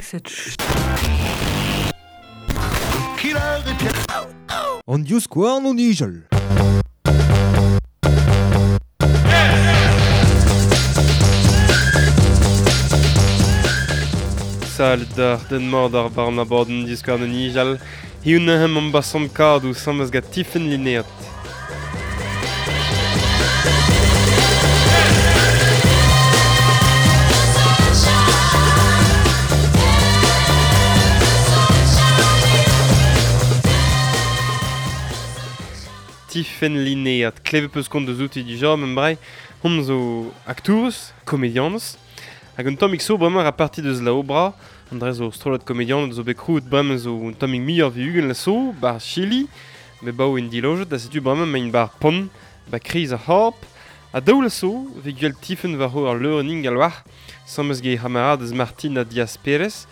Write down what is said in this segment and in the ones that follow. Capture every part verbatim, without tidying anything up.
Cette An divskouarn o nijal. Salud d'ar den mord ar bar an abadenn divskouarn o nijal. Hiziv neuze emañ basant kadoù asambles gant Tifenn Linéat. Tifenn Linéat, klevet peus kont deus outi dija, mem brai, hon zo aktourez, komedianez, hag un tammig zo bremañ a parti deus la obra, an dre zo strollad komedianed zo bet krouet bremañ zo un tammig muioc'h vi ugent la so, bar Chili, met bao en dilojet, da setu bremañ maint bar pont, ba kriz ar c'horp, ha daou la so, ve gwell Tifenn war ho ar leurenn ingal war, asambles get he c'hamaradez Martina Diaz Perez,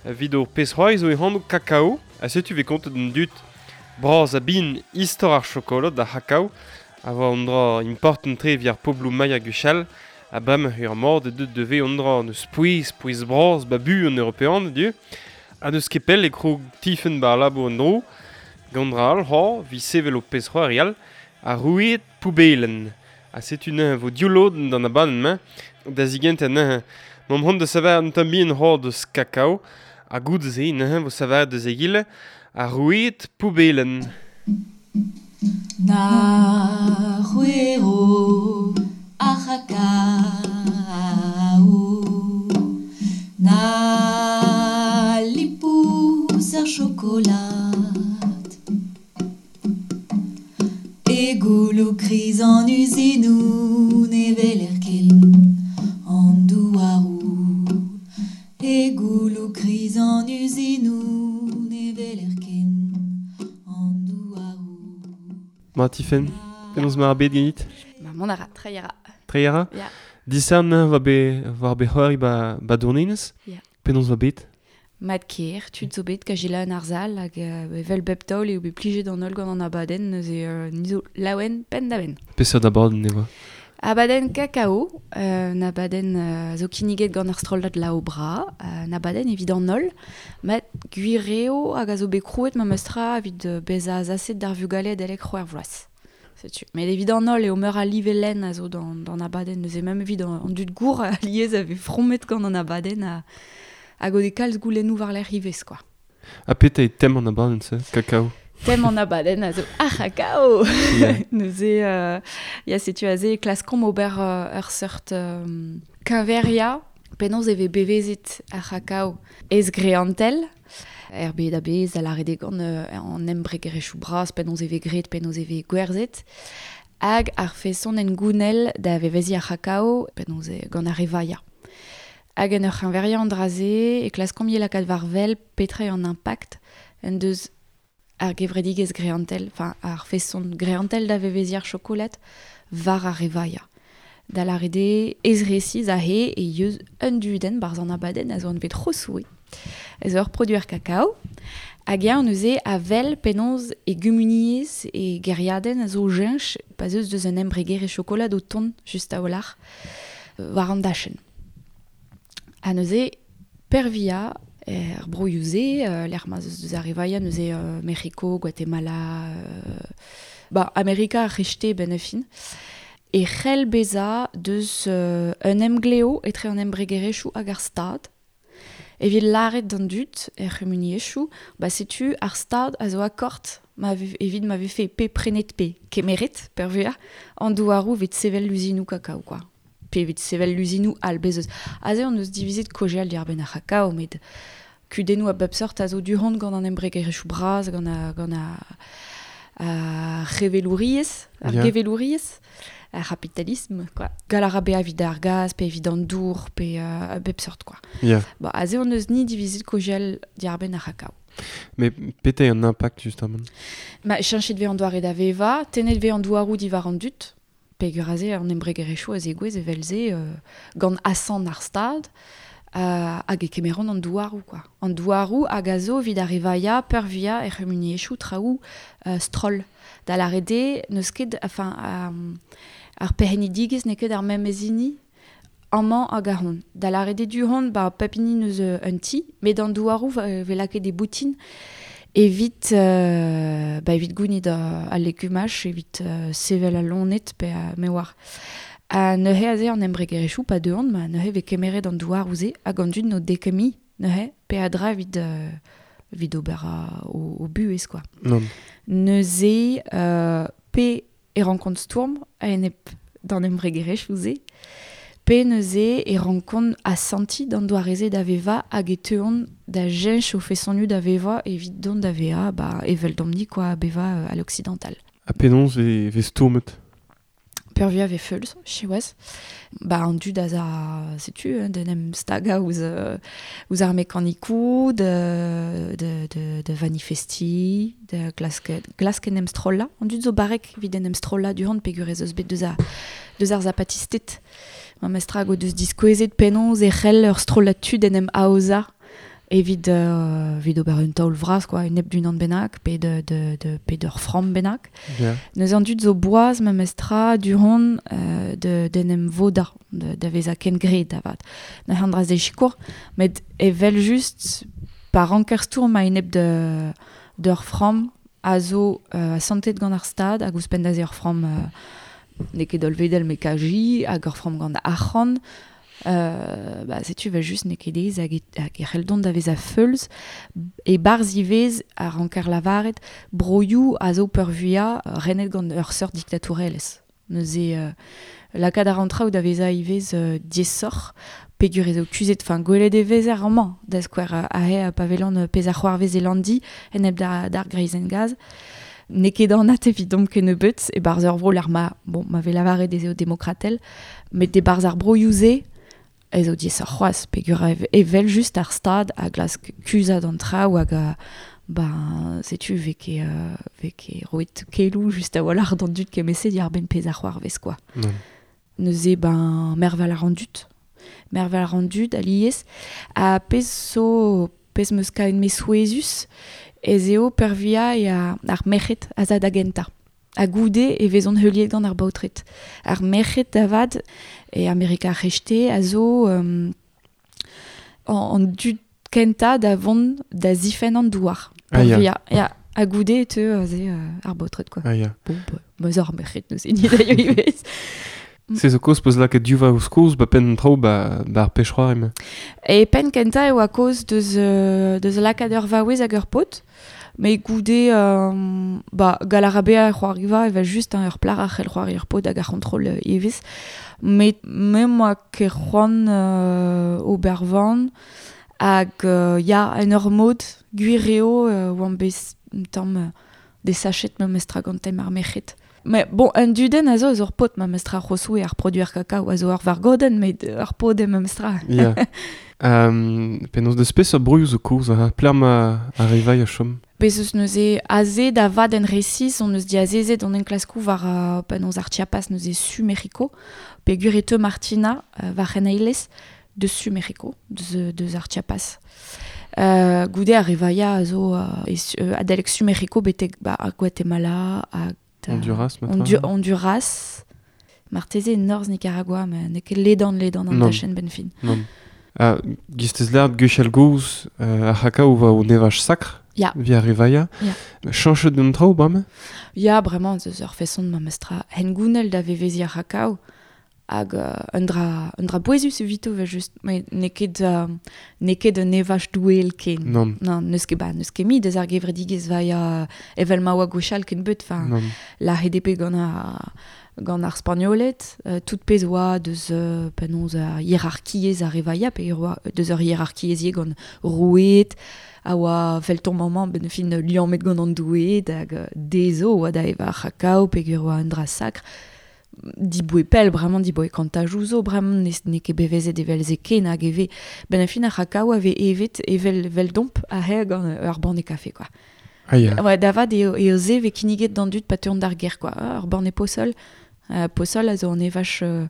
evit ur pezh c'hoari zo e anv Kakao, ha setu ve kontet an dud bras a bin istor ar chokolad ar c'hakao, a voa an dra important tre evit ar pobloù maya gwechall, ha bremañ ur mord e deut devez an dra neus pouez, pouez bras, ba bu an european, dieu, ha neus ket pell e krog Tifenn bar labour an dro, gant dra all, ha, vi sevel o pezh c'hoari all, ha roueed poubelen. Ha setu neuze vo div lodenn d'an abadenn-mañ, da zigentañ neuze, m'am c'hoant da saver un tamm bihan c'hoar deus kakao, ha goude-se neuze vo saver deus egile, ar roueed poubelen. Na c'hwero ar c'hakao, na lipous ar chokolad, e gouloù kriz an uzinoù ne weler ken an douaroù, e gouloù kriz an uzinoù ne weler ken an douaroù. Ma Tifenn, penaos ma ar bed ganit? Ma mont a ra, treiñ a ra. Treiñ a ra? Ya. Disern va be war be c'hoari ba, ba Douarnenez? Ya. Penaos va bet? Mat ker, tud zo bet kajela an ar zal hag euh, evel bep taol eo bet plijet an holl gant an abadenn neuze euh, ni zo laouen penn da benn. Peseurt abadenn e oa? Abadenn kakao, euh, un abadenn euh, zo kinniget gant ar strollad La Obra, euh, un abadenn evit an holl, met gwir eo hag a zo bet krouet memes tra evit euh, bezañ azaset d'ar vugale adalek c'hwec'h vloaz. Setu. Met evit an holl eo meur a live-lenn a zo d'an, d'an abadenn, neuze même evit an, an dud gour a liez a vez fromet gant an abadenn a, hag o de kalz goulennoù war lec'h ivez, quoi. Ha petra eo tem an abadenn se, kakao? Tem an abadenn a zo ar c'hakao. Yeah. Neuze, euh, ya setu aze e klaskomp ober euh, ur seurt euh, keñveria, penaos e vez bevezet ar c'hakao ez greantel, er bed a-bezh, a lâret eo gant euh, an embregerezhioù bras, penaos e vez graet, penaos e vez gwerzhet, hag ar feson en gounell da veveziñ ar c'hakao, penaos e gant ar re vaia. Hag en ur c'heñveriañ an dra-se e klaskomp ivez lakaat war wel petra eo an impact en deus ar gevredigezh greantel, enfin ar feson greantel da veveziñ ar chokolad war ar re vaia. Da lâret eo ez resiz aze e yeus un dudenn barzh an abadenn a zo anvet Rosoue. Ez ur produer kakao, hag eñ neuze a wel penaos e gumuniezh e gêriadenn a zo jeñch pa zeus deus un embregerezh chokolad o tont just a-walc'h war an dachenn. Ha neuze pervia er broioù-se, euh, lec'h ma zeus deus ar re vaia neuze euh, Mec'hiko, Guatemala, euh, ba, Amerika ar c'hrechte ben a fin, e c'hell bezañ deus euh, un emgleo etre an embregerezhioù hag ar stad, evit lâret d'an dud er c'humuniezhioù, ba setu ar stad a zo akord ma ve, evit ma vefe pe prenet pe kemeret pervia an douaroù evit sevel luzinoù kakao, quoi. Pe evit sevel luzinoù all bez eus. Aze on eus divizet kaozeal diwar-benn ar c'hakao, met kudennoù a bep seurt a zo du-hont gant an embregerezhioù bras, gant a, gant a, ar c'hevelouriezh, ar Ya. gevelouriezh, ar c'hapitalisme, quoi. Gall a ra bezañ evit ar gaz, pe evit an dour, pe euh, a bep seurt, quoi. Ya. Ba, aze on eus ni divizet kaozeal diwar-benn ar c'hakao. Mais petra eo an impact justement? Ma, cheñchet vez an doare da vevañ, tennet vez an douaroù diwar an dud, peogwir aze an embregerezhioù a zegouezh evel-se euh, gant asant ar stad, euh, hag e kemeront an douaroù, quoi. An douaroù hag a zo evit ar re vaia, peurvuiañ er c'humuniezhioù traoù euh, stroll. Da lâret eo, n'eus ket, enfin, euh, ar perc'hennidigezh n'eo ket ar memes hini Amañ hag a-hont. Da lâret eo du-hont, ba, pep hini neus un ti, met an douaroù ve lakaet e boutin evit, euh, ba, evit gounit al legumaj, evit euh, sevel al loened pe a me oar. Ha neuze aze an embregerezhioù pa deuont, ma neuze vez kemeret an douaroù-se hag an dud n'o dekemi neuze pe a dra evit, euh, evit ober a, o, o buhez, quoi. Non. Neuze euh, pe e rankont stourm a-enep d'an embregerezhioù-se, pe neuze e rankont asanti d'an doare-se da veva hag e teuont da jench o fesonioù da veva evit dont da veva, ba, evel domni, quoi, beva euh, à l'occidental. Ha penaos ve, ve stourmet? Peurvuiañ ve feulz, siwazh. Ba, an dud a za, setu, hein, d'en em stagañ ouzh, euh, ouzh ar mekanikoù, de, de, de, de vanifesti, de glask, glask en em strollañ. An dud zo barrek evit en em strollañ du-hont peogwir ez eus bet deus, a, deus ar zapatisted. Ma mestra hag o deus diskouezet penaos e c'hell ur strollad tud en em aozañ evit, euh, evit ober un taol vras, quoi, un ep d'unan bennak, pe de, de, de, pe d'ur framm bennak. Yeah. Neuze an dud zo boaz ma mestra du-hont euh, de, d'en em vodañ, de, da vezañ kengred avat. Neuze an dra ze sikour, met evel just pa ranker stourm a-enep de, d'ur framm a zo euh, asantet gant ar stad, hag ouzhpenn da ze ur framm euh, n'eo ket hollvedel met kaji, hag ur framm gant arc'hant. Euh, ba, setu vel just n'eo ket aes hag e, hag e c'hell dont da vezañ feulz e barzh ivez a ranker lavaret broioù a zo peurvuiañ renet gant ur seurt diktatourelezh. Neuze euh, lakaat ar an traoù da vezañ ivez euh, diaesoc'h peogwir ez eo kuzhet, enfin gwelet e vezer amañ da skouer aze a pavelan pezh ar c'hoarvez e Landi enep da, d'ar greizenn gaz. N'eo ket anat evidomp kennebeut e barzh ur vro lec'h ma, bon, ma vez lavaret ez eo demokratel, met e barzh ar broioù-se ez eo diaesoc'h c'hoazh peogwir evel just ar stad a glask kuzhat an traoù hag a, ba, setu vez ket, euh, vez ket roet keloù just a-walc'h d'an dud kemese diàr-benn pezh ar c'hoarvez, quoi. Non. Neuze, ben, mervel ar an dud. Mervel ar an dud, alies. Ha pezh zo, pezh meus kaet me souezhus, ez eo peurvuiañ e a, ar merc'hed a za da gentañ. Ha goude e vezont heuliet gant ar baotred. Ar merc'hed da vat e Amerika ar C'hreisteiz a zo um, an, an dud kentañ da vont da zifenn an douar. Ah, ya. Peurvuiañ. Ya. Ha goude e teu aze euh, ar baotred, quoi. Ah, ya. Bon, bah, meus ar merc'hed neuze ni da ivez. Se zo kaoz peus lakaet div vaoz kozh ba penn an traoù ba, ba ar pech-c'hoari emañ. E penn kentañ e oa kaoz deus, euh, deus lakaat ur vaouez hag ur paotr. Mais goude, euh, ba, galarabea c'hoariva evel just hein, ur plac'h a c'hell c'hoari ur paotr hag ar c'hontrol euh, ivez. Met me moa ket c'hoant euh, ober van hag euh, ya en ur mod gwir eo euh, oan bet un tamm euh, desachet ma mestra gant tem ar merc'hed. Mais bon, un dudenn a zo eus ur paotr ma mestra c'hosoù e ar produer kakao a zo ur vargodenn, met ur paotr eo ma mestra. Ya. Um, penaos deus peseurt broioù zo kaoz, ha pelec'h ma ar rivailh a chom? Bez eus neuze aze da vat en resis, on eus diazezet on enklaskoù war uh, penaos ar Chiapas neuze su Mec'hiko, peogwir e teu Martina uh, war c'heneilez deus su Mec'hiko, deus, deus ar Chiapas. Euh, goude ar rivailh a zo uh, e su, uh, adalek su Mec'hiko betek ba, ar Guatemala hag Honduras, Hondu- marteze. Honduras, marteze norzh Nicaragua, met n'eo ket ledan ledan an Non. dachenn benn fin. Non. Ah, gistez lâret gwechall gozh, euh, ar c'hakao va o nevaj sakr, Ya. via rivailh. Ya. Chañchet an traoù bremañ? Ya, bremañ, eus ur feson ma mestra hengounel da veveziñ ar c'hakao hag euh, un dra, un dra bouezus evito vel just, met n'eo ket, euh, n'eo ket un evaj doueel ken. Non. Non, n'eus ket ba, n'eus ket mi deus ar gevredigezh vaia evel ma oa gwechall ken beut, enfin, Non. la H D P gant ar, gant ar Spagnoled, euh, tout pezh oa deus euh, penaos ar hierarkiezh ar revaia, pe oa deus ur hierarkiezh gant roueed, a oa felton maman ben fin liammet gant an doueed hag euh, dezo oa da evañ ar c'hakao peogwir oa un dra sakr. Diboe pell, bremañ diboe kantajoù zo, bremañ ne, n'eo ket bevezet evel se ken hag eve. Ben a fin ar c'hakao a vez evet evel vel domp aze gant ur banne kafe, quoi. Ah, ya. Ouais, da vat eo, eo se vez kinniget d'an dud pa teuont d'ar gêr, quoi. Ah, ur banne pozol. Euh, pozol a zo an evaj euh,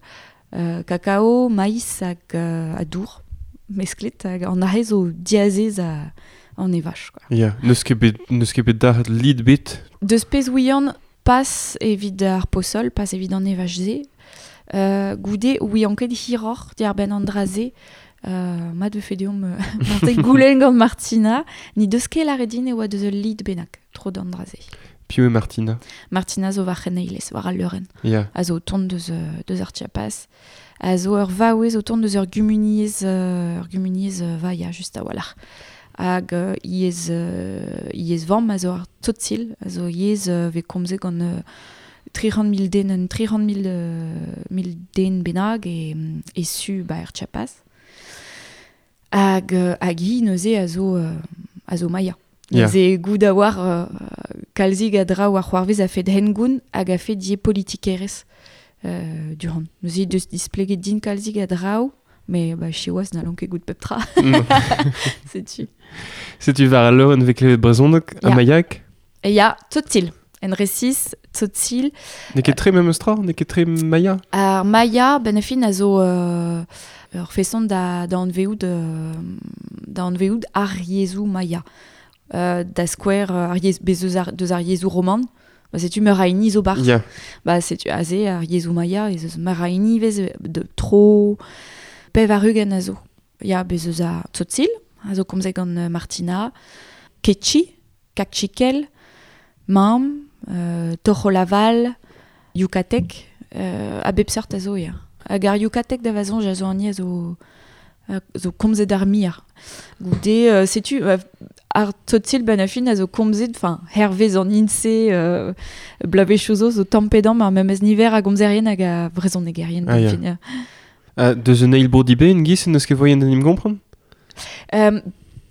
euh, kakao, maïs hag euh, a dour, mesklet, hag an aze zo diazez a, an evaj, quoi. Ya, n'eus ket bet, n'eus ket bet dalc'het lid bet. Deus pezh ouian pas evit ar pozol, pas evit an evaj-se, Euh, goude, oui, anket hiror diar ben an draze, euh, mat vefe deomp euh, Martin goulen gant Martina, ni deus ket lâret din e oa deus ul lid bennak, tro d'an draze. Piv eo Martina? Martina zo war c'heneilez, war al leurenn. Ya. A zo o tont deus, deus ar Chiapas. A zo ur vaouez o tont deus ur gumuniezh, euh, ur gumuniezh euh, vaia, just a-walc'h. Hag euh, iez, euh, iez vamm a zo ar tzotzil, a zo iez euh, vez komzet gant euh, tri c'hant mil den, un tri c'hant mil, euh, mil den bennak e, e su ba er Chiapas. Hag, euh, hag hi neuze a zo, euh, a zo maia. Ya. Neuze goût da war euh, kalzig a dra war c'hoarvez a fed hengoun hag a fed die politikerez euh, durant. Neuze deus displeget din kalzig a draoù, mais bah, siwazh n'hallon ket goût pep tra. Setu. Setu war al leurenn vez klevet brezhoneg ha Ya. maiak? E ya, tzotzil. En resis, tzotzil. N'eo ket tre memes tra? N'eo ket tre maia? Ar maia, ben a fin a zo euh, ur feson da, da anveout, euh, da anveout ar yezhoù maia. Euh, da skouer ar yez, bez eus ar, deus ar yezhoù roman. Ba, setu meur a hini zo bar. Ya. Ba, setu aze ar yezhoù maia, ez eus meur a hini vez de tro pev ar ugent a zo. Ya, bez eus a tzotzil, a zo komzet gant euh, Martina, Ketchi, Kakchikel, Mam, euh, Tojolabal, Yucatec, euh, a bep seurt a zo, ya. Hag ar Yucatec da vazoñj a zo an a zo, a zo komzet ar mir. Goude, euh, setu, euh, ar tzotzil ben a fin a zo komzet, enfin, hervez an INSEE, euh, blavechoù zo zo tamm-pe-damm ar memes niver a gomzerien hag a vrezhonegerien. Ah, ya. fin, ya. Uh, deus un eil bro diben giz, n'eus ket voien d'en im gompren? Euh,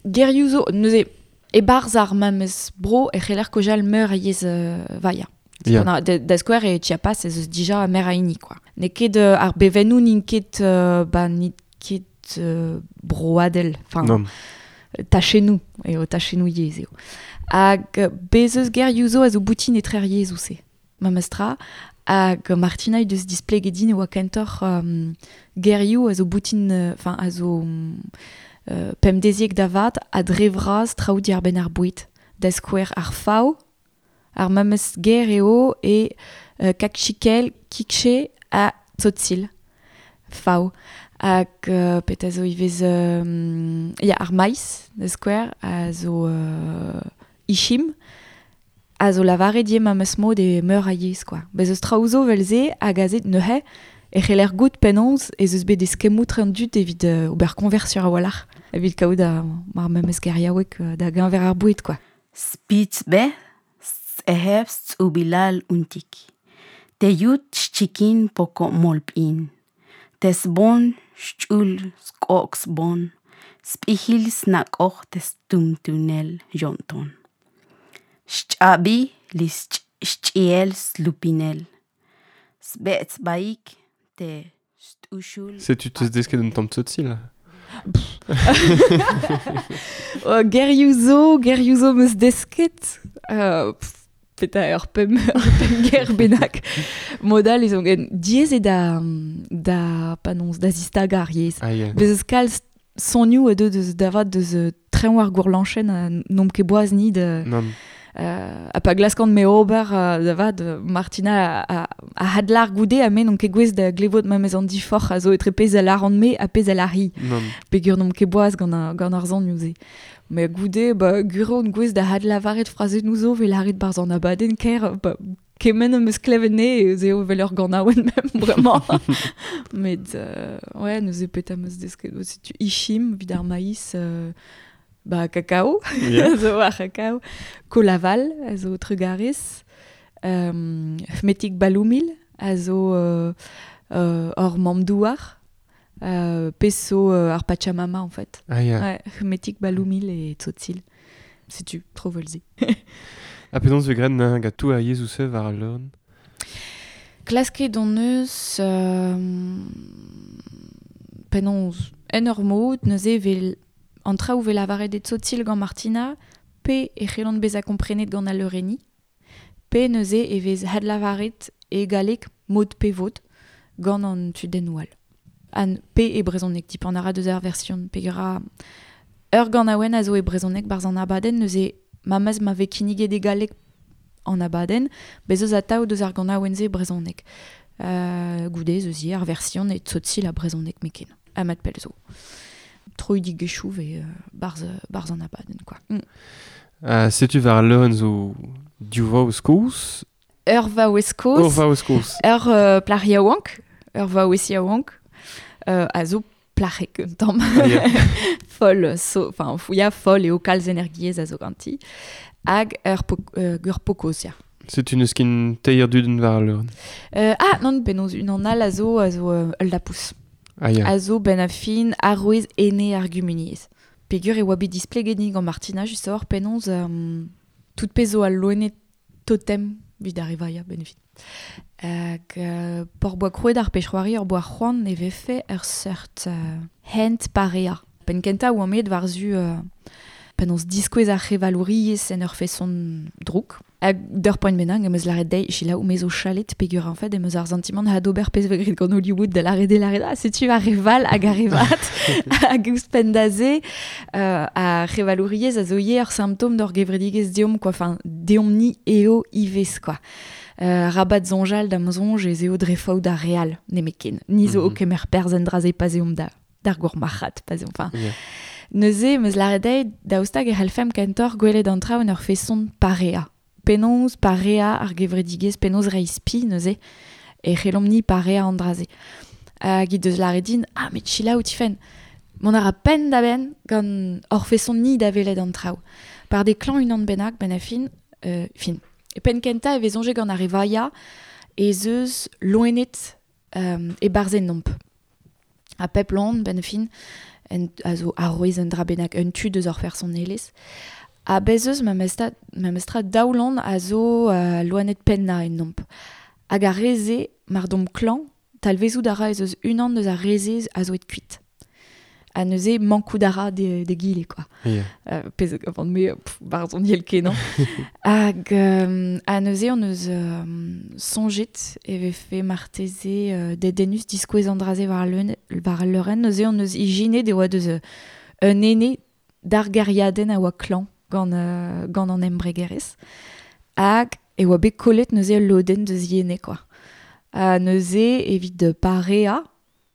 gerioù zo, neuze, e-barzh ar memes bro e c'heller kojal meur a yezh euh, vaia. Ya. Na, da, da skouer e Chiapas ez eus dija meur a hini, quoi. N'eo ket euh, ar bevennoù n'int ket, euh, ba, n'int ket euh, broadel, enfin, Non. tachennoù, eo tachennoù yezh eo. Hag euh, bez eus gerioù zo a zo boutin etre ar yezhoù se. Memes tra, hag Martina he deus displeget din e oa kentoc'h euh, gerioù a zo boutin, enfin, a zo euh, pemdeziek da vat a dre vras traoù diar-benn ar boued. Da skouer ar fav, ar memes ger eo e euh, kakchikel, kikche ha tzotzil. Fav. Hag euh, pet a zo ivez euh, ya, ar maiz, da skouer, a zo euh, ishim, a zo lavaret die memes mod e meur a yezh, quoi. Bez eus traoù zo vel-se hag aze neuze e c'heller goût penaos ez eus bet eskemmoù tre an dud evit euh, ober konversur a-walc'h. Evit kaout a, ar memes geriaoueg euh, da geñver ar boued, quoi. Spitz be, ehebst ubilal untik. Te yut chikin poko molpin. Tes bon chul skox bon. Spihil snakoch tes tumtunel jonton. Chabi lis chiel slupinel. Sbets baik te stushul. Setu teus desket un tamm tzotzil? Oh, gerioù zo, gerioù zo meus desket. Euh, pff, peta ur pemp, ur pemp ger bennak. Modal ez on gen diaes eo da, da, panons, da zistaga ar yezh. Ah, ya. Bez eus kalz sonioù a deu deus davat deus euh, treñv ar gourlañchenn a n'omp ket boaz ni de, Non. euh, a pa glaskan me ober euh, davat euh, Martina a, a, a hadlar goude a me n'omp ket gwez da glevot ma mez an diforc'h a zo etre pezh a laran me ha pezh a lari. Non. Pegur n'omp ket boaz gant ar, gant ar zonioù se. Me goude, ba, guro on gwez da hadlavaret frazennoù zo vel lâret barzh an abadenn ker, ba, kement am eus klevet ne, ez eo vel ur ganaouenn mem, bremañ. Met, euh, ouais, neuze pet am eus desket, setu ishim, evit ar maïs, euh, ba, kakao, Ya. zo ar kakao, kolaval, a zo trugarez, euh, fmetik baloumil, a zo euh, euh, ur mamm-douar, euh, peso euh, ar Pachamama, en fait. Ah, ya. Ouais, fmetik baloumil e tzotzil. Setu, tro volze. Ha penaos vez graet neuze gant tout ar yezhoù se war al leurenn? Klasket hon eus euh, penaos en ur mod, neuze vel an traoù vel lavaret e tzotzil gant Martina, pe e c'hellont bezañ komprenet gant al leurenni, pe neuze e vez hadlavaret e galleg mod pe vod gant an tudennoù all. An pe e brezhoneg, tip an ara deus ar version, pe gra ur ganaouenn a zo e brezhoneg barzh an abadenn, neuze mamez ma vez kinniget e galleg an abadenn, bez eus atav deus ar ganaouenn-se e brezhoneg. Uh, goude eus ar version e tsotsil a brezhoneg meken. Amat pelzo. Troidig gechouv e uh, barz, barz an abadenn, quoi. Mm. Uh, setu war leuren zo div vaouez kozh? Ur vaouez kozh. Ur vaouez kozh. Ur uh, plac'h yaouank. Ur vaouez yaouank. Uh, a zo plac'hek un tamm. Ah, yeah. Foll, so, enfin, ya foll eo kalz energiezh a zo ganti. Hag ur po, uh, ur pokoz, ya. Setu neus ken teir dudenn war al leurenn. Euh, ah, non, penaos unan all a zo, a zo euh, ul lapous. Ah, ya. A zo ben a fin arouez ene ar gumuniezh. Pegur e oa bet displeget gant Martina just a-walc'h penaos euh, tout pezh zo al loened totem evit ar evaia ben a fin. Hag euh, por boa krouet ar pechroari ur boa c'hoant e vefe ur seurt euh, hent parea. Penn kentañ oa amet war-zu euh, penaos diskouez ar c'hevalouriezh en ur feson drouk. Hag d'ur poent bennak em eus lâret dezhi selaou me zo chalet pegur en fait em eus ar santimant ha d'ober pezh vez graet gant Hollywood da lâret de lâret ah setu ar reval hag ar revat hag ouzhpenn da se euh, ar c'hevalouriezh a zo ivez ur symptôme d'ur gevredigezh deomp quoi, enfin deomp-ni eo ivez quoi. Euh, rabat soñjal da'm soñj ez eo dre faot ar real nemetken. Ni zo mm -hmm. o kemer perzh en dra-se pa 'z eomp da d'ar gourmarc'had pa 'z eomp enfin. Yeah. Neuze em eus lâret dezhi daoust hag e c'hallfemp kentoc'h gwelet an traoù en ur feson parea. Penaos parea ar gevredigezh, penaos reiñ spi neuze, e c'hellomp-ni parea an dra-se. Hag he deus lâret din, ah met selaou Tifenn, mont a ra penn da benn gant hor feson-ni da welet an traoù. Par de klañv unan bennak ben a fin, euh, fin. E penn kentañ e vez soñjet gant ar evaia ez eus loened euh, e-barzh ennomp. Ha pep loen ben a fin, en, a zo arouez un dra bennak, un tu deus hor personelezh. Ha bez eus memestra, memestra daou loen a zo uh, loened pennañ ennomp. Hag ar re-se, mar domp klañv, talvezout a ra ez eus unan deus ar re-se a zo et kuit. Ha neuze mankout a ra de, de gile, quoi. Yeah. Euh, pezh avant me, pff, barzh on yel kenañ. Hag euh, ha neuze on eus euh, soñjet e vefe marteze euh, dedennus diskouez an dra-se war al war al leurenn. Neuze on eus ijinet e oa deus euh, un ene d'ar gêriadenn a oa klañv gant, euh, gant an embregerezh. Hag e oa bet kollet neuze ul lodenn deus ene, quoi. Ha neuze evit pareañ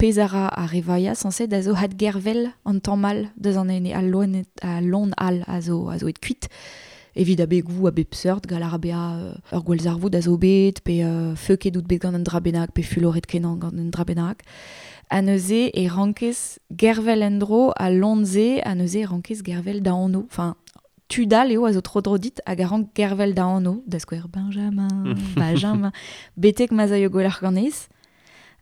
pezh a ra ar evaia sañset a zo hadgervel an tamm all deus an ene al loened al loen all a zo a zo et kuit evit abegoù a bep seurt gall ar bezañ euh, ur gwallzarvoud a zo bet pe euh, feuket out bet gant un dra bennak pe fuloret kenañ gant un dra bennak. Ha neuze e rankez gervel en-dro al loen-se ha neuze e rankez gervel da anv. Enfin, tud all eo a zo tro-dro dit hag a rank gervel da anv, da skouer Benjamin, Benjamin, betek ma'z aio gwelloc'h ganez.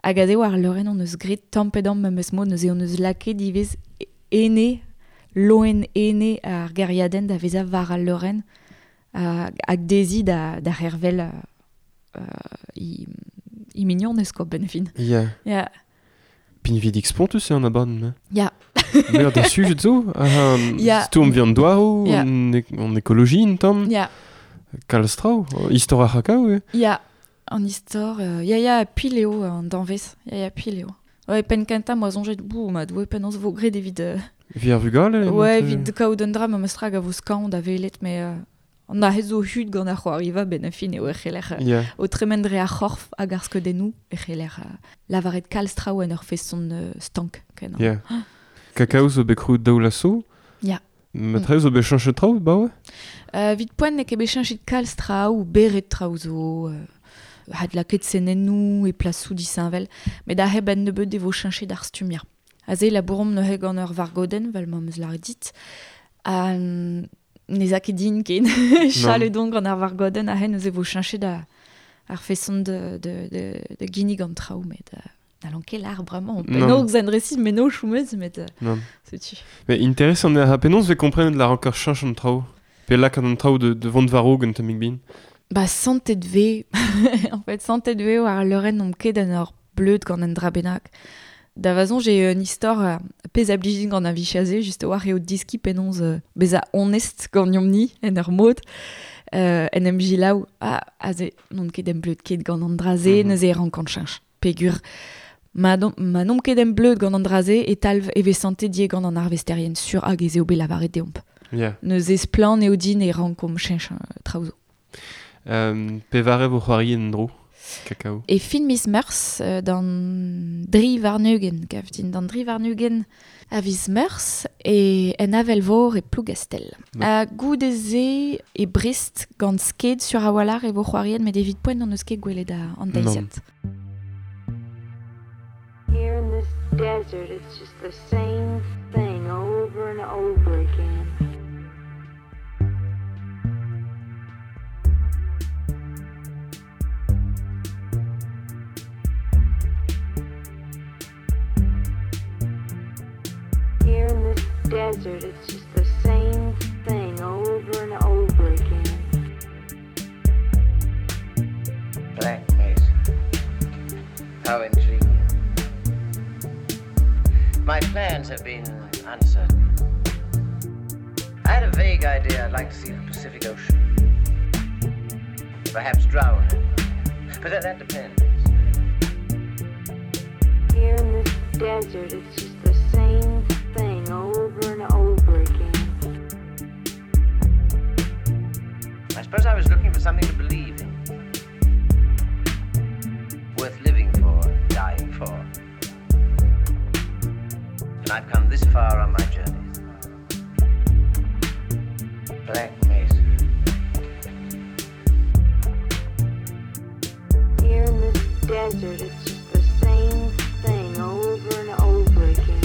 Hag aze war leurenn on eus graet tamm pe damm memes mod, neuze on eus lakaet ivez ene, loen ene ar gêriadenn da vezañ war al leurenn hag dezhi da, da c'hervel euh, i, i mignonez quoi, ben fin. Yeah. Yeah. Pinvidik spontus eo an abadenn. Ya. Meur da sujet zo, um, Ya. stourm vi an douaroù, Ya. an, ek- an ekoloji un tamm, Ya. kalz traoù, istor ar c'hakao eo. Ya, an istor, euh, ya ya pil eo an danvez, ya ya pil eo. Ouais, penn kentañ moa soñjet, bou, ma doue penaos vo graet evit... Euh, Vi ar vugale. ouais, mat, evit kaout un dra memes tra hag a vo skañv da welet, met euh, an ahez zo hud gant ar c'hoariva ben a fin eo e c'heller euh, Ya. o tremen dre ar c'horf hag ar skeudennoù e c'heller euh, lavaret kalz traoù en ur feson euh, stank kenañ. Ya. Kakao zo bet krouet daou laso. Ya. Ma traoù zo bet cheñchet traoù, ba ouais? Euh, evit poent n'eo ket bet cheñchet kalz traoù, beret traoù zo, euh, had lakaet senennoù e plasoù disheñvel, met aze ben nebeut e vo cheñchet ar stumm ya. Aze labouromp neuze gant ur vargodenn, vel ma 'm eus lâret dit, ha ne za ket din ken, chalet on gant ar vargodenn, aze neuze vo cheñchet ar, ar feson de, de, de, de ginnig an traoù, met euh, n'hallon ket lâr bremañ, Non. penaos en resis meno choumeuz, met euh, Non. setu. Mais intéressant eo ha penaos vez komprenet lar encore cheñch an traoù. Pe lakaat an traoù de, de vont war-raok un tammig bin. Ba santet vez, en fait, santet vez war leurenn omp ket en ur bleud gant un dra bennak. Da vazon, j'ai un istor euh, pezh a blijin gant ar vichaze, just war eo diski penaos euh, bezañ honest gant ni en ur mod. Euh, en em jilaou, ah, aze, n'on ket em bleud ket gant an dra-se, Mm -hmm. neuze e rankan cheñch. Pegur, ma, don, ma n'omp ket em bleud gant an dra-se, e talv e vez santet die gant an arvesterien sur hag ez eo bet lavaret deomp. Yeah. Neuze splann eo din e rankomp cheñch euh, traoù zo. Um, pevare vo c'hoari en dro. Kakao. E fin miz Meurzh euh, d'an dri warn-ugent, gav din d'an dri warn-ugent a viz Meurzh e en Avelvor e Plougastel. Ma. Ha goude-se e Brest gant Sked sur a-walc'h e vo c'hoariet met evit poent an eus ket gwelet a an deiziad. Here in this desert, it's just the same thing over and over again. Here in this desert, it's just the same thing over and over again. Black Mesa. How intriguing. My plans have been uncertain. I had a vague idea I'd like to see the Pacific Ocean. Perhaps drown in it. But that, that depends. Here in this desert, it's just the same thing over and over again. I suppose I was looking for something to believe in. Worth living for, dying for. And I've come this far on my journey. Black Mesa. Here in this desert, it's just the same thing over and over again.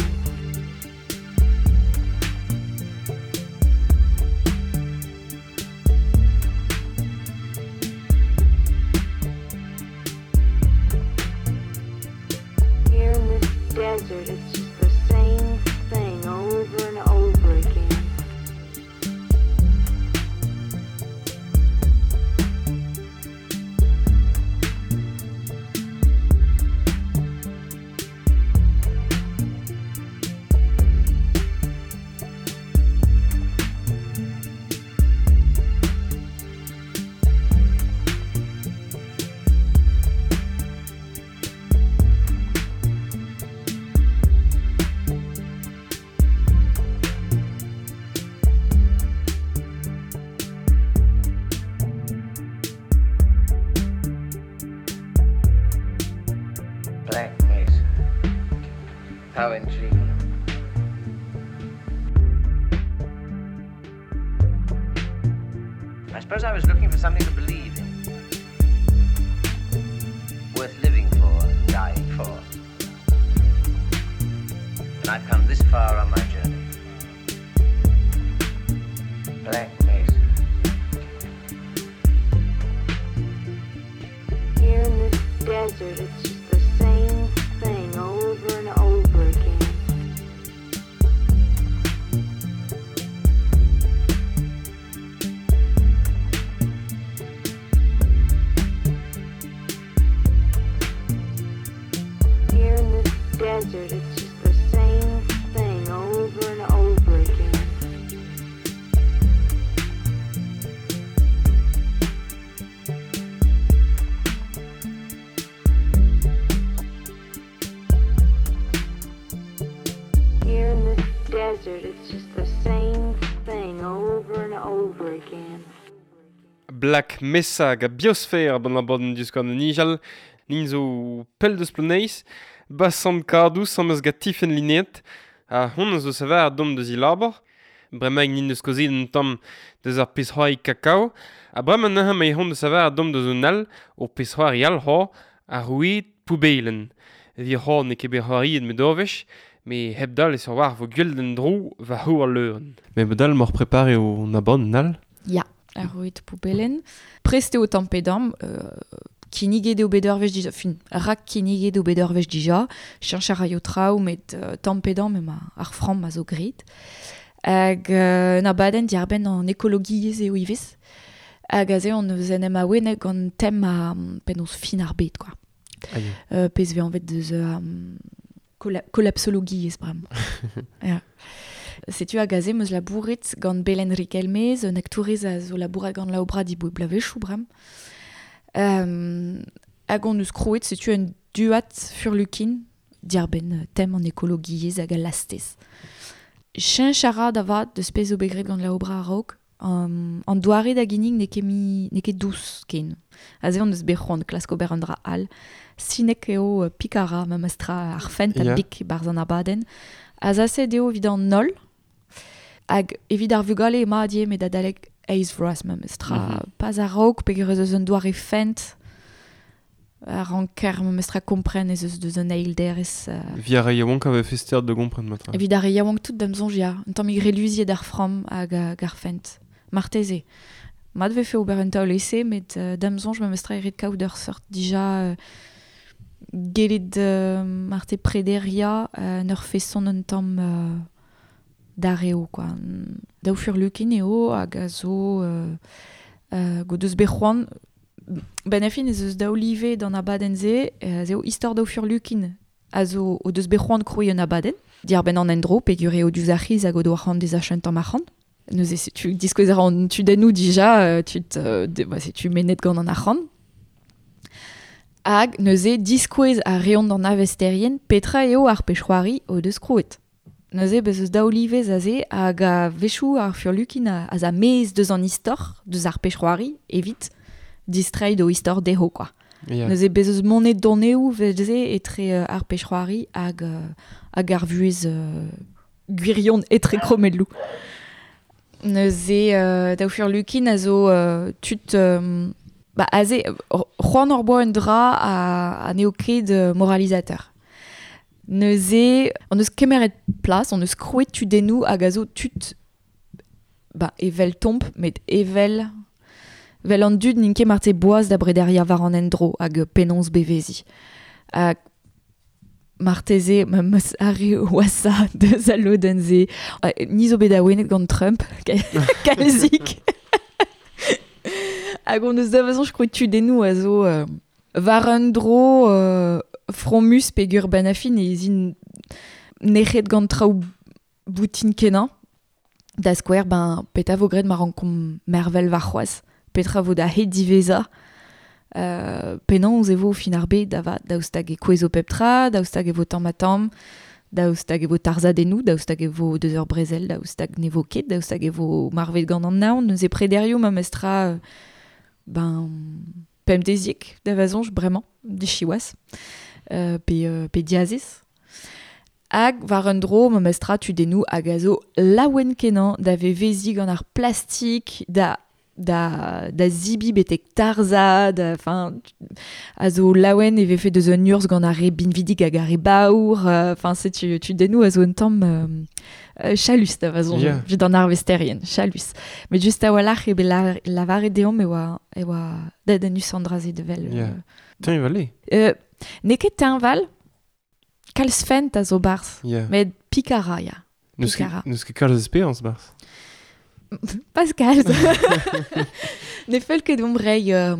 Here in this desert, it's just the same thing over and over again. Black Mesa. How intriguing. I suppose I was looking for something to believe in. Worth living for, dying for. And I've come this far on my journey. Black Mesa. Here in this desert, it's just the same thing over and over again. Here in this desert, it's just the same thing over and over again. Here in this desert, it's just the same thing over and over again. Black Mesa hag a biosfère ban abadenn Divskouarn o Nijal, nin zo pell deus Ploneis, ba sant Kadou sam eus gant Tifenn Linet, ha hon eus zo savar dom deus i labor, bremañ nin deus kozet un tamm deus ar pezh-c'hoari kakao, ha bremañ neuze ma hon deus savar dom deus un all, ur pezh-c'hoari all ho, ar roued poubelen. Evit ho n'eo ket bet c'hoariet met orvech, me hep dal e sur war vo gwell d'an dro va ho al leuren. Mais bedal mor prepare o abadenn all? Ya, ar roued poubelen. Prest eo tamm pe damm, euh, kinniget eo bet ur wech dija, fin, rak kinniget eo bet ur wech dija, cheñch a raio traoù, met euh, tamm pe damm ema ar framm a zo grit. Hag euh, un abadenn diarbenn an ekologiezh eo ivez. Hag aze on eus en em awenet gant tem a penaos fin ar bed, quoi. Aïe. Euh, pezh vez anvet deus euh, kola-, kolapsologiezh bremañ. Ya. Setu hag aze meus labouret gant Belen Riquelmez, un aktourez a zo labouret gant laobra diboe blavezhioù bremañ. Euh, hag on eus krouet, setu un duat furlukin diarbenn tem an ekologiezh hag al lastez. Cheñch a ra da vat deus pezh zo bet graet gant laobra a-raok, Um, an doare da ginnig n'eo ket mi, n'eo ket dous ken. Aze on eus bet c'hoant klask ober an dra all. Sinek eo pikara memestra ar fent a Yeah. bik barzh an abadenn. Azaset eo evit an holl, hag evit ar vugale ema die met adalek eizh vloaz memestra. Mm -hmm. Pas a-raok peogwir ez eus un doare fent a ranker memestra kompren ez eus deus un eil derez. Uh, Vi ar re yaouank a vefe stert da gompren matra. Evit ar re yaouank tout da'm soñj ya, un tammig reluziet ar framm hag hag ar fent. Marteze. Mat vefe ober un taol ese, met uh, da'm soñj memestra e ret kaout ur seurt dija uh, gellet uh, marte prederia uh, en ur feson un tamm uh, d'ar eo, quoi. Daou furlukin eo hag a zo uh, uh, go deus bet c'hoant Ben a fin ez eus daou live d'an abadenn-se, euh, ez eo istor daou furlukin a zo o deus bet c'hoant krouiñ un abadenn. Diar ben an endro, peogwir eo diouzh ar c'hiz hag o doa c'hoant dezañ un tamm arc'hant. Neuze setu diskouez a ran tudennoù dija, euh, tud, euh, de, ba, setu mennet gant an arc'hant. Hag neuze diskouez a reont d'an avesterien petra eo ar pech'hoari o deus krouet. Neuze bez eus daou livez aze hag a wechoù ar furlukin a, a za maez deus an istor, deus ar pech'hoari, evit distreiñ d'o istor dezho, quoi. Yeah. Neuze bez eus monet doneoù veze etre euh, ar pech'hoari hag, euh, hag ar vuhez euh, gwirion etre kromelloù. Neuze euh, daou furlukin a zo euh, tud... Euh, ba, aze, c'hoant hor boa un dra a, a n'eo ket euh, moralisateur. Neuze, on eus kemeret plas, on eus krouet tudennoù hag a zo tud ba, evel tomp, met evel vel an dud n'int ket marte boaz da brederia war an endro hag penaos bevezi. Hag marteze, ma meus arre oasa deus al lodenn-se. Ni zo bet awenet gant Trump, kalzik. Hag on eus da vazoñ krouet tudennoù a zo euh, war un dro euh, fromus peogwir ben a fin ez int nec'het gant traoù boutin kenañ. Da skouer, ben, petra vo graet ma rankomp mervel warc'hoazh. Petra vo da hed diwezhañ. Euh, penaos e vo fin ar bed da vat, daoust hag e kouezho pep tra, daoust hag e vo tamm ha tamm, daoust hag e vo tarzhadennoù, daoust hag e vo deus ur brezel, daoust hag ne vo ket, daoust hag e vo marvet gant an naon, neuze prederioù memestra euh, ben, pemdeziek da vazoñj bremañ, dichiwazh, euh, pe, euh, pe diazez. Hag war un dro memestra tudennoù hag a zo laouen kenañ da veveziñ gant ar plastik, da da, da zibi betek tarzha, da, enfin, a zo laouen e vefe deus un urzh gant ar re binvidik hag ar re baour, enfin, setu tudennoù a zo un tamm euh, euh, chalus da vazoñj, Yeah. evit an arvesterien, chalus. Met just a-walc'h eo bet la, lavaret deomp e oa, e oa dedennus an dra-se devel. Yeah. Teñval eo. Euh, n'eo ket teñval, kalz fent a zo barzh, Yeah. met pikara, ya. N'eus ket, pikara. n'eus ket kalz esperañs barzh. Pascal. Ne fell ket deomp reiñ euh,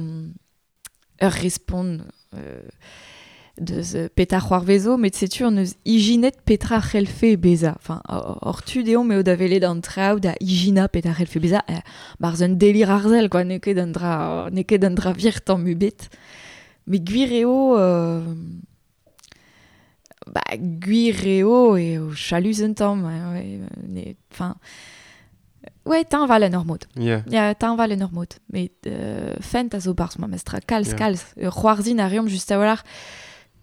ur respont euh, deus euh, petra c'hoarvezo, met setu an eus ijinet petra c'hellfe bezañ. Enfin, hor tu deomp eo da welet an traoù da ijina petra c'hellfe bezañ, eh, barzh un delir arzel, quoi, n'eo ket un dra, n'eo ket un dra vir tamm ebet. Met gwir eo... Euh, ba, gwir eo eo chalus un tamm, ouais, ouais, enfin... Ouais, teñval en ur mod. Yeah. Ya, teñval en ur mod. Met euh, fent a zo barzh memestra, kalz, Yeah. kalz. Euh, c'hoarzhin a reomp just a-walc'h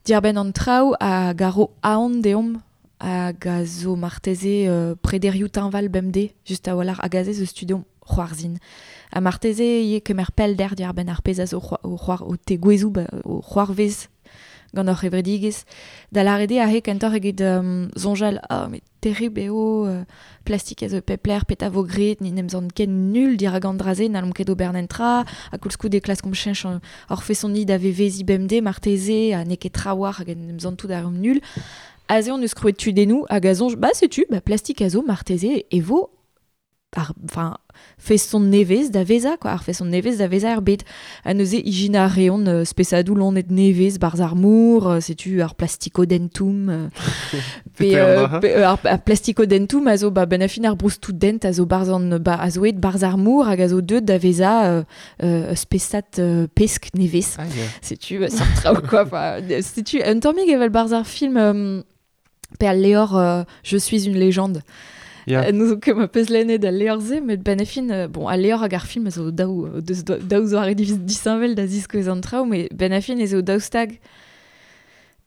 diarbenn an traoù hag a ro aon deomp hag a zo marteze euh, prederioù teñval bemdez, just a-walc'h hag aze zo studiomp c'hoarzhin. Ha marteze ivez kemer pellder diarbenn ar pezh a zo c'hoa- o c'hoar o tegouezhoù ba, o c'hoarvez gant hor c'hevredigezh. Da lâret eo aze kentoc'h eget euh, soñjal, ah, met terribl eo, euh, plastik a zo pep lec'h, petra vo graet, ni n'em zant ken nul dirak an dra-se, n'hallomp ket ober nentra, ha koulskoude klaskomp cheñch an- hor feson-ni da veveziñ bemdez, marteze, ha n'eo ket trawalc'h hag en em zant tout ar nul. Aze on eus krouet tudennoù hag a soñj, ba setu, ba plastik a zo marteze e vo ar, enfin, feson nevez da vezañ, quoi, ar feson nevez da vezañ er bed. Ha neuze ijina a reont euh, spesadoù loened nevez barzh ar mor, euh, setu ar plastikodentum, euh, pe, Petra euh, an dra? pe, euh, ar, ar plastikodentum a zo ba, ben a fin ar broustoù dent a zo barzh an, ba, a zo aet barzh ar mor hag a zo deuet da vezañ euh, euh, spesad euh, pesk nevez. Ah, yeah. Setu, euh, seurt traoù, quoi. Enfin, setu, un tammig evel barzh ar film euh, pe al levr euh, Je suis une légende. Ya. Nous zo ket ma peus lennet al levr-se, met ben a fin, euh, bon, al levr hag ar film a zo daou, deus daou zo ar disheñvel da ziskouez an traoù, met ben a fin ez eo daou stag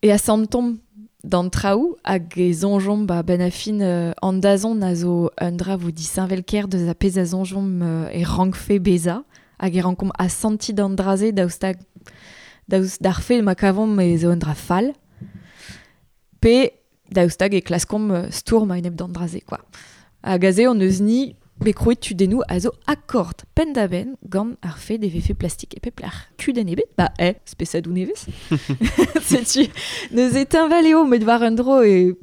e a santomp d'an traoù hag e zonjomp ba ben a fin euh, an dazon a zo un dra vo disheñvel ker deus a pezh a zonjomp euh, e rankfe beza hag e rankomp a santi d'an draze daou stag daou d'ar fe ma kavomp e zo un dra fall pe daou stag e klaskomp euh, stourm a enep d'an draze quoi. Hag aze on eus ni bet krouet tudennoù a zo akord penn da benn gant ar fe de vefe plastik e pep lec'h. Kudenn ebet, ba eh, spesadoù nevez. Setu, neuze teñval eo met war un dro e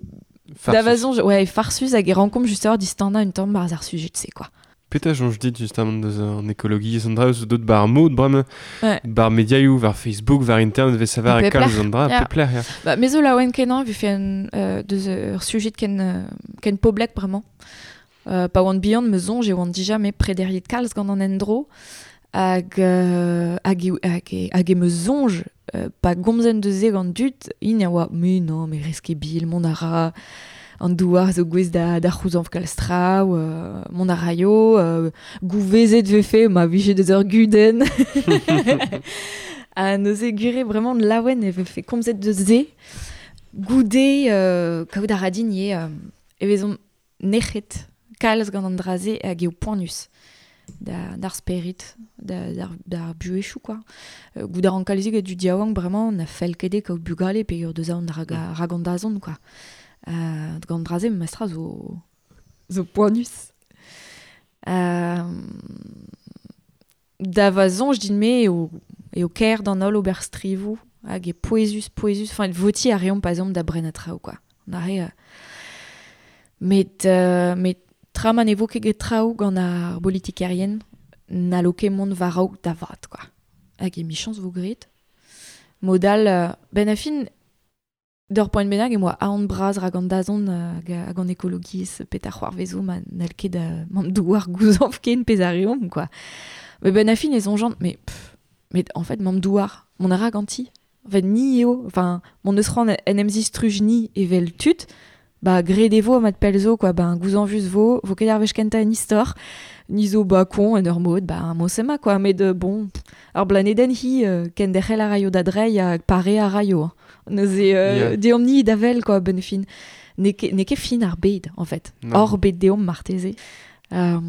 da vazon, ouais, farsus hag e rankomp just ur distanda un tamm barzh ar sujet se quoi. Petra soñj dit justement deus an ekologiezh an dra eus dot bar mod bremañ Ouais. bar mediaioù war Facebook war internet vez savar Pep e kalz lec'h. an dra Ya. pep lec'h ya. Ba, me zo laouen kenañ vefe un euh, deus ur sujet ken euh, ken poblek bremañ. Euh, pa oan bihan me soñj e oan dija me prederiet kalz gant an endro hag euh, hag e, hag e, hag e me soñj euh, pa gomzen deus e gant dud int a oa me non me rez ket bil mont a ra an douar zo gwez da, da c'houzañv kalz traoù, euh, mont a raio, euh, gouvezet vefe ma vije deus ur gudenn. Ha neuze gure vraiment laouen e vefe komzet deus se goude euh, kaout a ra din eo euh, e vezomp nec'het kalz gant an draze hag eo poanus da, d'ar sperit, da, d'ar, d'ar buechoù quoi. Euh, goud ar an kalzik e du diaouank bremañ na fell ket eo kaout bugale pe ur deus an rag, mm. rag an dazont quoi. Euh, gant draze mestra zo zo poanus. Euh, da va soñj din-me eo, eo kaer d'an holl ober strivoù hag e pouezus, pouezus, enfin voti a reomp pa zomp da bren a traoù quoi. On a re, euh, met, euh, met tra ma ne vo ket get traoù gant ar bolitikerien n'allo ket mont war-raok da vat quoi. Hag e michañs vo gret. Modal, euh, ben a fin, d'ur poent bennak e moa aon bras rag an dazont hag, hag an ekologiezh pet ar c'hoarvezo ma n'hall ket da mamm douar gouzañv ken pezh a reomp quoi. Mais ben a fin e soñjant, mais pff, met en fait mamm douar, mont a ra ganti. En fait ni eo, enfin mon eus c'hoant en em zistruj ni evel tud, ba gret e vo mat pell zo quoi, ben gouzañvus vo, vo ket ar wech kentañ en istor, ni zo ba kon en ur mod, ba mosema quoi, met euh, bon, pff, ar blanedenn hi euh, kenderc'hel a raio da dreiñ hag pare a raio. Hein. Neuze euh, Yeah. deomp ni da vel quoi, ben fin. N'eo ket, n'eo ket fin ar bed en fait. Non. Hor bed deomp marteze. Euh,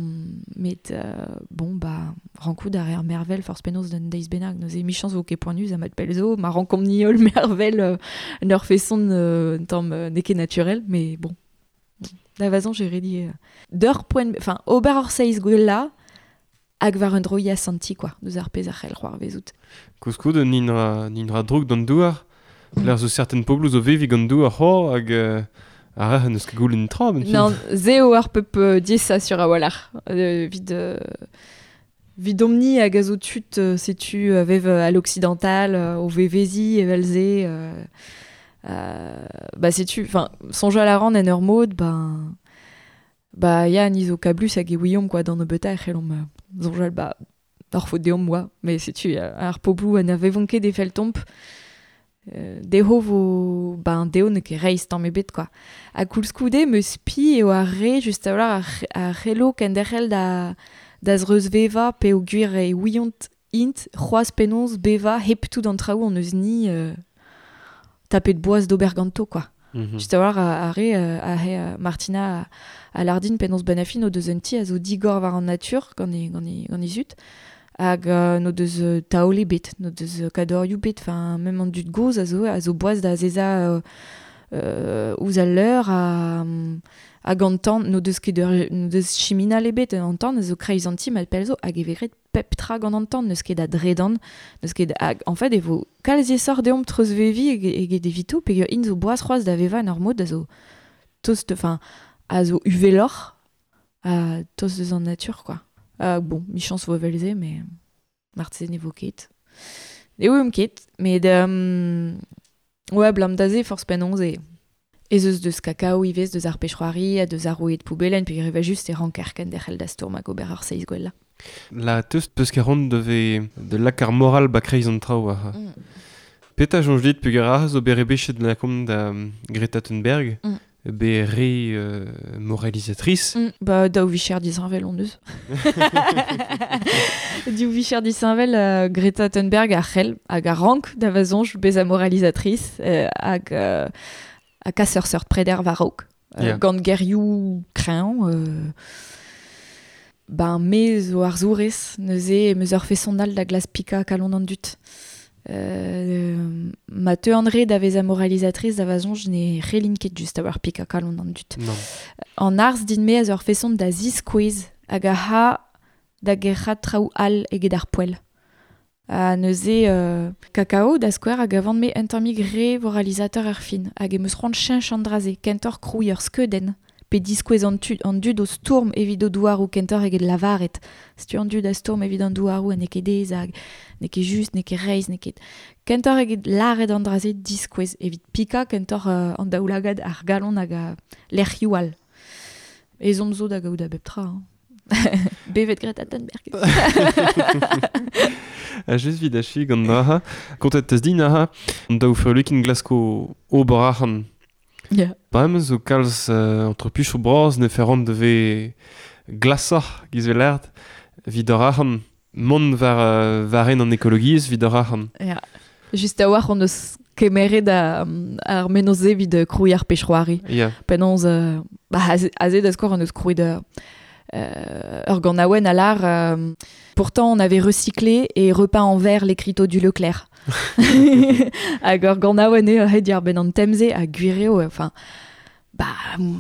met euh, bon ba rankout ar er mervel forzh penaos d'un deiz bennak neuze michañs vo ket poanus ha mat pell zo ma rankomp ni holl mervel euh, en ur feson euh, tamm euh, n'eo ket naturel mais bon da vazon j'ai redi euh, d'ur poent enfin ober ur seiz gwella hag war un dro ya santi quoi deus ar pezh a c'hell c'hoarvezout. Koulskoude nin ra, nin ra droug d'an douar L'air zo certain pobloù zo vevi gant douar ho hag euh, ar re n'eus ket goulenn tra ben fin. Non, ze eo ar pep euh, diesa sur a-walc'h. Euh, vid, euh, vid omni hag a zo tud euh, setu euh, vev à l'occidental, euh, o vevezi evel ze. Euh, euh, bah setu, enfin, soñjal a ran en ur mod, ben... Bah ya, ni zo kablus hag e ouiomp quoi, d'an nebeutañ e c'hellomp euh, soñjal ba ar faot deomp oa. Mais setu, euh, ar pobloù ha na vevont ket e feltomp, euh, dezho vo ben dezho n'eo ket reizh tamm ebet quoi. Ha koulskoude meus spi eo ar re just a-walc'h ar, ar c'hello kenderc'hel da da zreuzvevañ peogwir e ouiont int c'hoazh penaos bevañ hep tout an traoù on eus ni euh, tapet boaz d'ober ganto quoi. Mm -hmm. Just a-walc'h ar, ar re euh, ar re euh, Martina a, a Lardin penaos benafin o deus un ti a zo digor war an natur gant e, gant e, gant e zut hag euh, no deus euh, taol ebet, no deus euh, kadorioù bet, enfin même an dud gozh a zo a zo boaz da azezañ euh, euh, ouzh al leur a, hag an tan, no deus ket ur, no deus chiminal ebet an tan a zo kreiz an ti mat pell zo hag e vez graet pep tra gant an tan, n'eus ket a dredan, n'eus ket hag en fait e vo kalz esor deomp treuzvevi eget evito peogwir int zo boaz c'hoazh da vevañ en ur mod a zo tost, enfin a zo uveloc'h a tost deus an natur quoi. Euh, bon, michañs vo evel-se, mais marteze ne vo ket. Ne ouiomp ket, met um, ouais, blam da ze forzh penaos e. Ez eus deus kakao ivez, deus ar pech-c'hoari, ha deus ar roued poubelen, peogwir e va just e ranker kenderc'hel da stourm hag ober ar seiz gwella. La teus peus ket ran deve de lak ar moral ba kreiz an traoù ar. Mm. Petra soñj dit peogwir ar zo bet rebechet la kom da um, Greta Thunberg Mm. Be re euh, moralisatrice. Mm. Ba, daou vicher disheñvel on eus. Diou vicher disheñvel euh, Greta Thunberg a c'hell hag a rank da vazonj beza moralisatrice euh, hag euh, a kas ur seurt preder war-raok. Euh, Yeah. Gant gerioù kreñv euh, ben me zo ar zourez neuze meus ur feson all da glas pika kalon an dud. Euh, ma teu an re da veza moralisatrice da vazonj ne relin ket just a war pika kalon an dud. Non. An arz din me a zo ur feson da ziskouez hag a ha da gerc'hat traoù all eget ar poell. Ha neuze euh, kakao da skouer hag avant me un tammig re voralisateur ur fin hag em eus c'hoant cheñch an draze kentoc'h krouiñ ur skeudenn pe diskouez an, tu, an dud o stourm evit o douaroù kentoc'h eget lavaret. Setu an dud a stourm evit an douaroù ha n'eo ket aes hag n'eo ket just, n'eo ket reizh, n'eo ket... Kentoc'h eget lâret an draze diskouez evit pika kentoc'h euh, an daoulagad ar galon hag a lec'hioù all. Ezhomm zo da gaout a bep tra. Hein. Bevet Greta Thunberg. A just vid achi gant draha. Kontet tez din aha. An daou furlukin glasko ober ac'han. Yeah. Bremañ zo kalz euh, entrepuchoù bras ne ferrant de ve glasoc'h giz vel vid ur ac'han. Mont war, euh, war en an ekologiezh vid ur ac'han. Yeah. Just a war on eus kemeret a, ar menoz-se evit krouiñ ar pechroari. Yeah. Penaos, euh, ba, aze, aze da skouer on eus krouet euh, ur ganaouenn a lar. Euh, pourtant, on avait recyclé et repeint en vert l'écriteau du Leclerc. Hag ur ganaouenn eo aet ar ben an temze a gwireo, enfin, ba,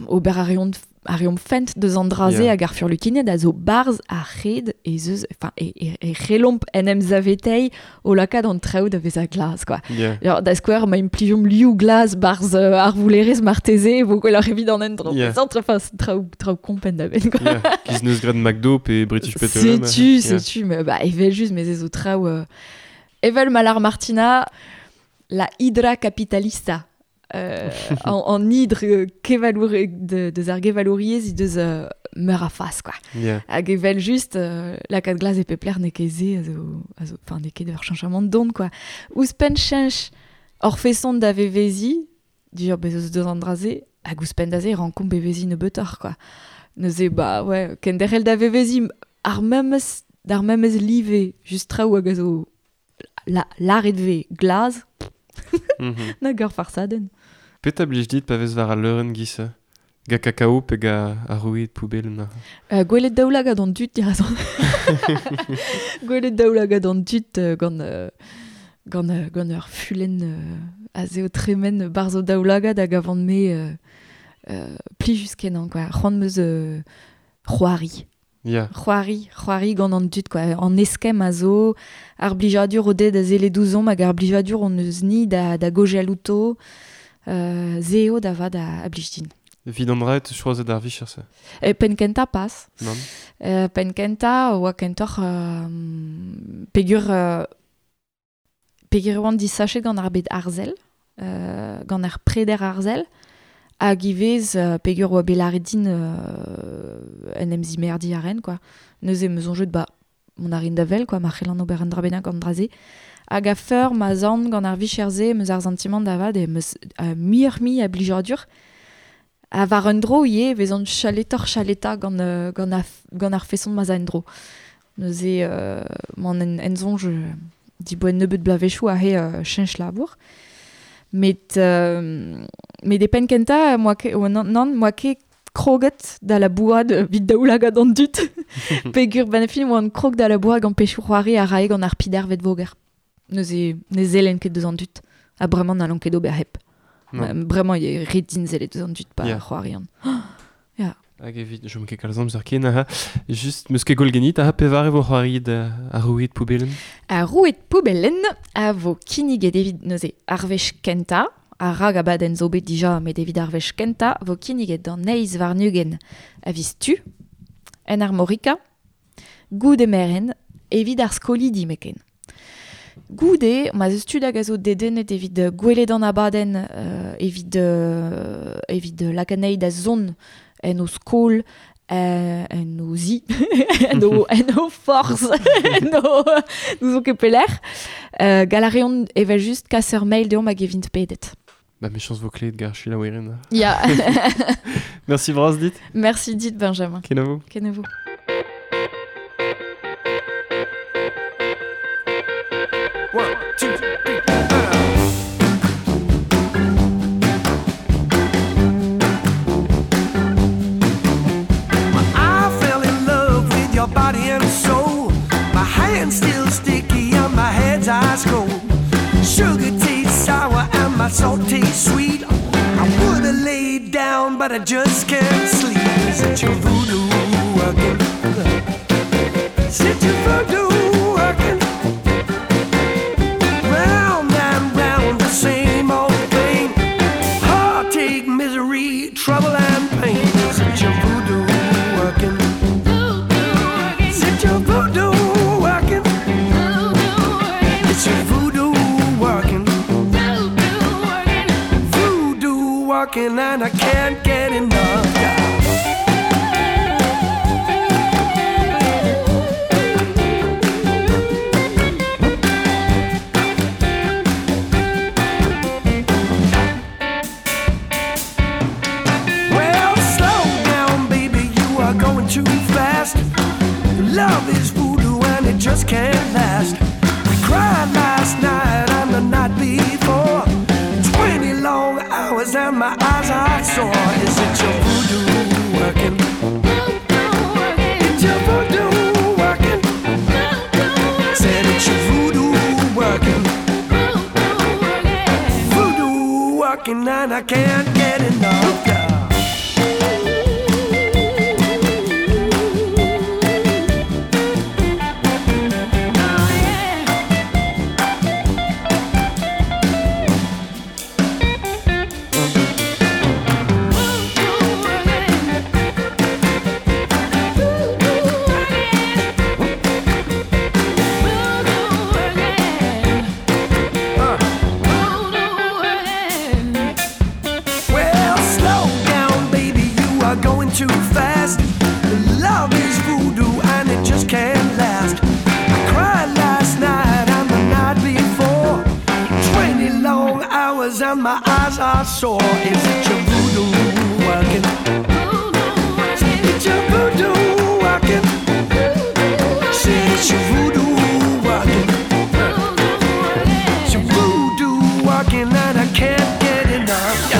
ober a reont a reomp fent deus an draze Yeah. hag ar furlukined a zo barz a red e zeus, enfin, e, e, e relomp en em zavetei o lakaat an traoù da veza glas, quoi. Yeah. Alors, da skouer, ma implijomp liou glas barz euh, ar voulerez marteze, e vo gwelloc'h evit an endro. Yeah. Entre, enfin, c'est traoù, traoù kompen da ben, quoi. Yeah. Giz neus graet McDo pe British Petroleum. Setu, Yeah. setu, mais bah, evel just, mais ez zo traoù... Euh, evel Malar Martina, la hydra capitalista. Euh, en, en hydre euh, kevaloure, de, deus ar gevalouriez, he deus euh, meur a fas, quoi. Yeah. Hag evel just, euh, lakaat glas e pep lec'h n'eo ket se, a zo, a zo, enfin, n'eo ket ur cheñchamant don, quoi. Ouzhpenn cheñch hor feson da vevezi, dir bez eus deus an draze, hag ouzhpenn da se rankomp bevezi nebeutoc'h, quoi. Neuze, ba, ouais, kenderc'hel da vevezi ar memes, d'ar memes live, just traoù hag a zo la, lâret ve glas, Mm -hmm. nag ur farsadenn. Petra blij dit pa vez war al leurenn giz Ga kakao pe ga ar roued poubellen. Euh, gwelet daoulagad an dud dirazon. Gwelet daoulagad an dud euh, gant, euh, gant, euh, gant ur fulenn euh, a zeo tremen barz o daoulagad hag avant me euh, euh, plijus kenañ, quoi. C'hoant meus euh, c'hoari. Yeah. C'hoari, c'hoari gant an dud, quoi. An eskemm a zo, ar blijadur o ded a zele douzomp hag ar blijadur on eus ni da, da gojal outo, euh, zeo da vad a, a blij din. Vid an draet choazet ar vicher se. E penn kentañ pas. Non. Euh, penn kentañ oa kentoc'h euh, pegur euh, pegur oan disachet gant ar bed arzel, euh, gant ar preder arzel, hag ivez euh, pegur oa bet lâret din euh, en em zimerdi a ren, quoi. Neuze em eus soñjet, ba, mont a rin da wel, quoi, ma c'hellan ober un dra bennak gant draze. Hag a feur ma zan gant ar vicher-se em eus ar santimant da vat, em eus euh, muioc'h-mui a blijadur. A war un dro ivez vezan chaletoc'h chaleta gant, euh, gant, ar, gant ar feson ma za en dro. Neuze euh, m'an en, en soñj euh, diboen nebeut blavechoù a he euh, cheñch labour. Met, euh, met e penn kentañ, moa ket, oh, nan, nan, moa ket kroget da labourat evit daoulagad an dud. Pegur ben fin oan krog da labourat gant pechoù c'hoari a rae gant ar pider vet voger. Neuze ne zelen ket deus an dud. Ha bremañ n'hallon ket ober hep. Non. Bremañ eo ret din sellet deus an dud pa Yeah. c'hoarian. Hag evit, jom ket kalz amzer ken, aha. Just, meus ket gwell genit, aha, pevar e vo c'hoariet ar roued poubellen. Ar roued poubellen a vo kinniget evit neuze ar wech kentañ, ar rag abadenn zo bet dija, met evit ar wech kentañ, vo kinniget d'an eizh warn-ugent a viz tu, en Armorica, goude merenn, evit ar skolidi meken. Goude, ma eus tud hag a zo dedennet evit gwelet an abadenn, euh, evit, euh, evit lakaat anezhi da zont en o skol, euh, en o zi, en o, en o forz, en o, n'ouzon ket pelec'h. Euh, gall a reont evel just kas ur mail deomp hag evint pedet. Ba me chans vo kleet gar chilaouerin. Ya. Merci bras dit. Merci dit Benjamin. Kenavo. Kenavo. One, two, three, four. I fell in love with your body and soul. My hands still sticky and my head's ice cold. Sugar tastes sour and my salt tastes sweet. I would've laid down, but I just can't sleep. Is it your voodoo working? Is it your voodoo working? Round and round the same old thing. Heartache, misery, trouble and pain. Is it your voodoo working? Is it your voodoo working? It's your voodoo working. Voodoo working and I can't get enough. Well, slow down, baby, you are going too fast. Love is voodoo and it just can't last. I cried last night and the night before. Twenty long hours and my eyes are sore. Is it your voodoo working? It's your voodoo working. Said it's your voodoo working. Voodoo working and I can't get enough. Yeah. Well, slow down, baby, you are going too fast. Love is voodoo and it just can't last. I cried last night and the night before. Twenty long hours and my eyes are sore. Is it your voodoo working? Is it your voodoo working? Said it's your voodoo working. It's your voodoo working and I can't get enough. Yeah.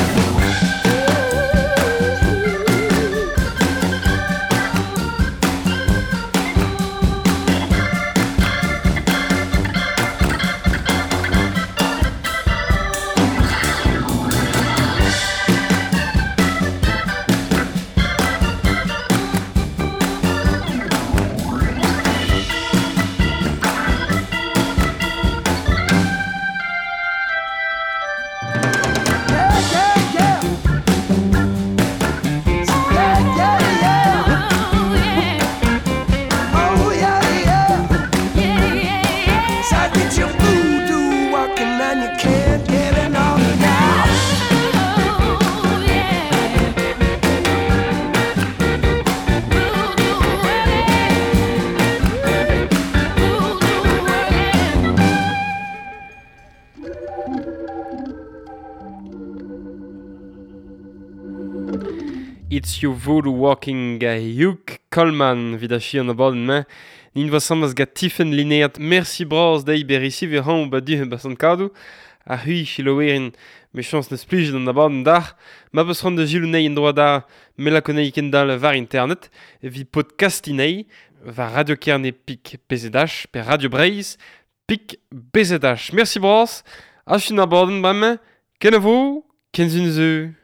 Yeah, yeah, yeah. Yeah, yeah, yeah. Oh, yeah, yeah. So I get your voodoo working and you can't get enough now. It's your voodoo working ga Hugh Coleman vid a chi an abadenn mañ. Nin va samaz ga Tiffen Lineat. Merci bras dei berisi vi ran ba du ba sant kadou. A hui chilowerin me chans neus plijet an abadenn d'ar. Ma beus ran da gilou nei en droit da me la konei kendal var internet. Vi podcastinei var Radio Kerne pik B Z H per Radio Breizh pik B Z H. Merci bras. A fin abadenn bremañ. Kenavo, kenzun zeu.